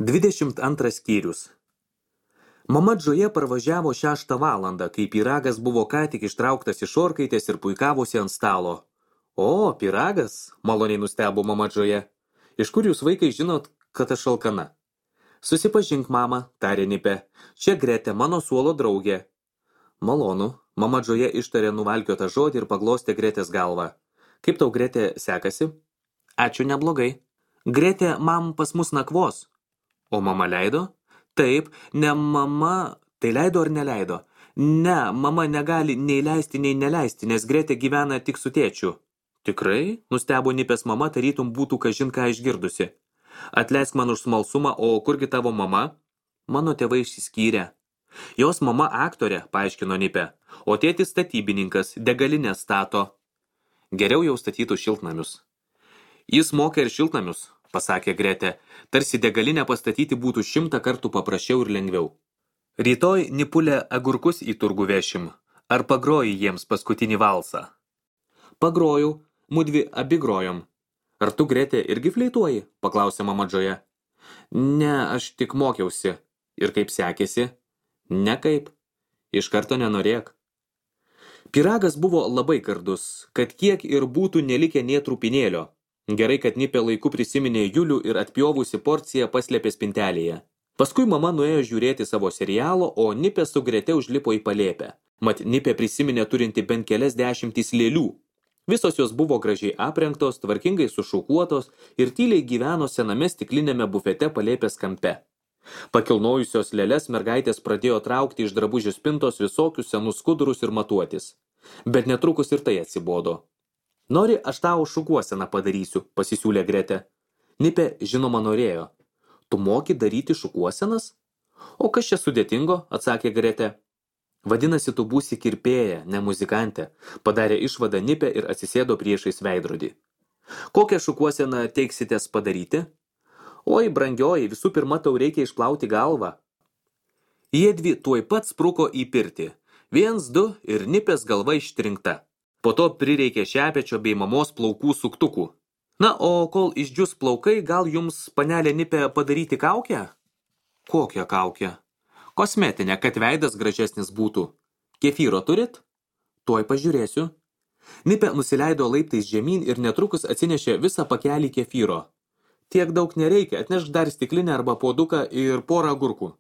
22 skyrius. Mama Džoja parvažiavo 6 valandą, kai pyragas buvo ką tik ištrauktas iš orkaitės ir puikavosi ant stalo. O, pyragas, maloniai nustebo mama Džoja. Iš kur jūs, vaikai, žinot, kad aš alkana? Susipažink, mama, tarė Nipė. Čia Gretė, mano suolo draugė. Malonu, mama Džoja ištarė nuvalkiotą žodį ir paglostė Gretės galvą. Kaip tau, Gretė, sekasi? Ačiū, neblogai. Gretė, mam pas mus nakvos. O mama leido? Taip, ne mama, tai leido ar neleido? Ne, mama negali nei leisti, nei neleisti, nes Gretė gyvena tik su tėčiu. Tikrai? Nustebo Nipės mama, tarytum būtų kažin ką išgirdusi. Atleisk man už smalsumą, o kurgi tavo mama? Mano tėvai išsiskyrė. Jos mama aktorė, paaiškino Nipė, o tėtis statybininkas, degalinę stato. Geriau jau statytų šiltnamius. Jis moka ir šiltnamius, pasakė Gretė, tarsi degalinę pastatyti būtų 100 kartų paprasčiau ir lengviau. Rytoj, Nipulė, agurkus į turgų vešim. Ar pagroji jiems paskutinį valsą? Pagrojau, mudvi abi grojom. Ar tu, Gretė, irgi fleituoji? Paklausė mama Džoja. Ne, aš tik mokiausi. Ir kaip sekėsi? Nekaip. Iš karto nenorėk. Pyragas buvo labai gardus, kad kiek ir būtų nelikę nė trupinėlio. Gerai, kad Nipė laiku prisiminė Julių ir atpjovusi porciją paslėpė spintelėje. Paskui mama nuėjo žiūrėti savo serialo, o Nipė su Grete užlipo į palėpę. Mat Nipė prisiminė turinti bent kelias dešimtis lėlių. Visos jos buvo gražiai aprengtos, tvarkingai sušukuotos ir tyliai gyveno sename stiklinėme bufete palėpės kampe. Pakilnojusios lėles mergaitės pradėjo traukti iš drabužių spintos visokius senus skudurus ir matuotis. Bet netrukus ir tai atsibodo. Nori, aš tau šukuoseną padarysiu, pasisiūlė Gretė. Nipė, žinoma, norėjo. Tu moki daryti šukuosenas? O kas čia sudėtingo, atsakė Gretė. Vadinasi, tu būsi kirpėja, ne muzikantė, padarė išvadą Nipė ir atsisėdo priešais veidrodį. Kokią šukuoseną teiksitės padaryti? Oi, brangioji, visų pirma, tau reikia išplauti galvą. Jiedvi tuoj pat spruko į pirtį. 1, 2 ir Nipės galva ištrinkta. Po to prireikė šepečio bei mamos plaukų suktukų. Na, o kol išdžius plaukai, gal jums, panelė Nipė, padaryti kaukę? Kokią kaukę? Kosmetinę, kad veidas gražesnis būtų. Kefyro turit? Tuoj pažiūrėsiu. Nipė nusileido laiptais žemyn ir netrukus atsinešė visą pakelį kefyro. Tiek daug nereikia, atnešk dar stiklinę arba puoduką ir porą agurkų.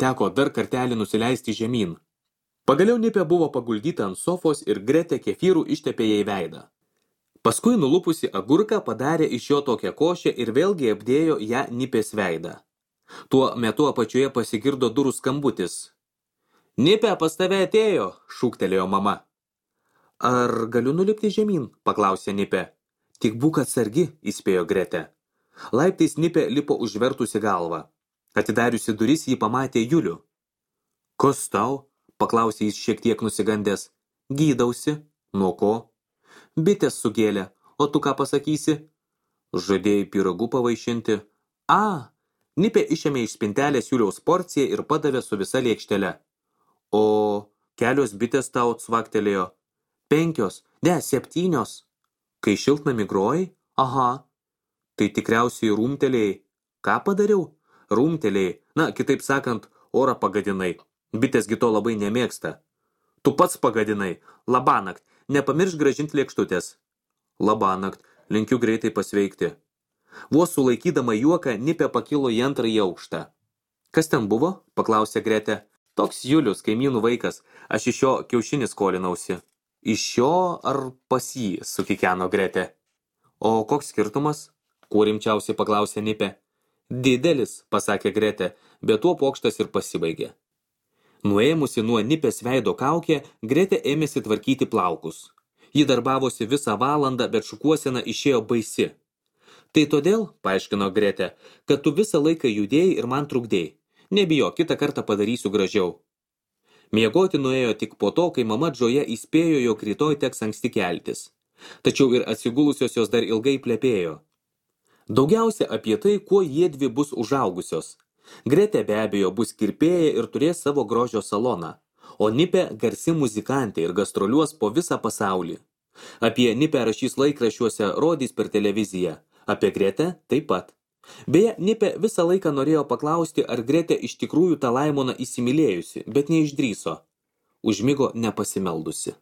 Teko dar kartelį nusileisti žemyn. Pagaliau Nipė buvo paguldyta ant sofos ir Gretė kefyrų ištepė jai veidą. Paskui nulupusi agurką padarė iš jo tokią košę ir vėlgi apdėjo ją Nipės veidą. Tuo metu apačioje pasigirdo durų skambutis. Nipė, pas tave atėjo, šūktelėjo mama. Ar galiu nulipti žemyn, paklausė Nipė. Tik būk atsargi, įspėjo Gretė. Laiptais Nipė lipo užvertusi galvą. Atidariusi duris jį pamatė Julių. Kas tau? Paklausė jis šiek tiek nusigandęs. Gydausi. Nuo ko? Bitės sugėlė. O tu ką pasakysi? Žadėjai pyragų pavaišinti. Nipė išėmė iš spintelės Juliaus porciją ir padavė su visa lėkštele. O kelios bitės tau cvaktelėjo. 5, ne, 7. Kai šiltnamį grojai? Aha. Tai tikriausiai rūmtelėjai. Ką padariau? Rūmtelėjai. Na, kitaip sakant, orą pagadinai. Bitėsgi to labai nemėgsta. Tu pats pagadinai. Labanakt. Nepamiršk grąžinti lėkštutės. Labanakt. Linkiu greitai pasveikti. Vos sulaikydama juoką, Nipė pakilo į 2. aukštą. Kas ten buvo? Paklausė Gretė. Toks Julius, kaimynų vaikas. Aš iš jo kiaušinį skolinausi. Iš jo ar pas jį? Sukikeno Gretė. O koks skirtumas? Kuo rimčiausiai paklausė Nipė. Didelis, pasakė Gretė, bet tuo pokštas ir pasibaigė. Nuėmusi nuo Nipės veido kaukę, Gretė ėmėsi tvarkyti plaukus. Ji darbavosi visą valandą, bet šukuosena išėjo baisi. Tai todėl, paaiškino Gretė, kad tu visą laiką judėjai ir man trukdėjai. Nebijo, kitą kartą padarysiu gražiau. Miegoti nuėjo tik po to, kai mama Džoja įspėjo, jog rytoj teks anksti keltis. Tačiau ir atsigulusios jos dar ilgai plepėjo. Daugiausia apie tai, kuo jiedvi bus užaugusios. Gretė be abejo bus kirpėja ir turės savo grožio saloną, o Nipė garsi muzikantė ir gastroliuos po visą pasaulį. Apie Nipę rašys laikraščiuose, rodys per televiziją, apie Gretę taip pat. Beje, Nipė visą laiką norėjo paklausti, ar Gretė iš tikrųjų tą Laimoną įsimylėjusi, bet neišdryso. Užmigo nepasimeldusi.